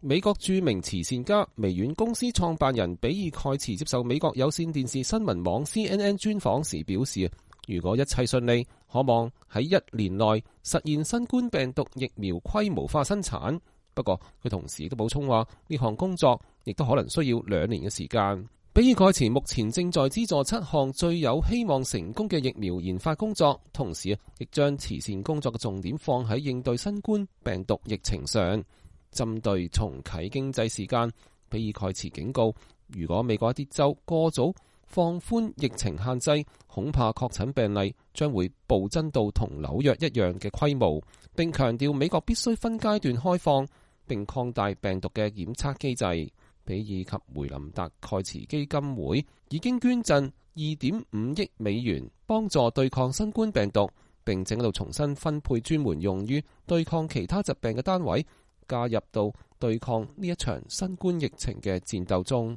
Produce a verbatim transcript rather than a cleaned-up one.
美國著名慈善家、微軟公司創辦人比爾蓋茨接受美國有線電視新聞網 C N N 專訪時表示，如果一切順利，可望喺一年內實現新冠病毒疫苗規模化生產。不過佢同時亦都補充話，呢項工作亦都可能需要兩年嘅時間。比爾蓋茨目前正在資助七項最有希望成功嘅疫苗研發工作，同時亦將慈善工作嘅重點放喺應對新冠病毒疫情上。針對重啟經濟時間，比爾蓋茨警告，如果美國一啲州過早放寬疫情限制，恐怕確診病例將會暴增到同紐約一樣嘅規模，並強調美國必須分階段開放並擴大病毒嘅檢測機制。比爾及梅林達蓋茨基金會已經捐贈二點五億美元幫助對抗新冠病毒，並正喺度重新分配專門用於對抗其他疾病嘅單位，加入到對抗呢一場新冠疫情嘅戰鬥中。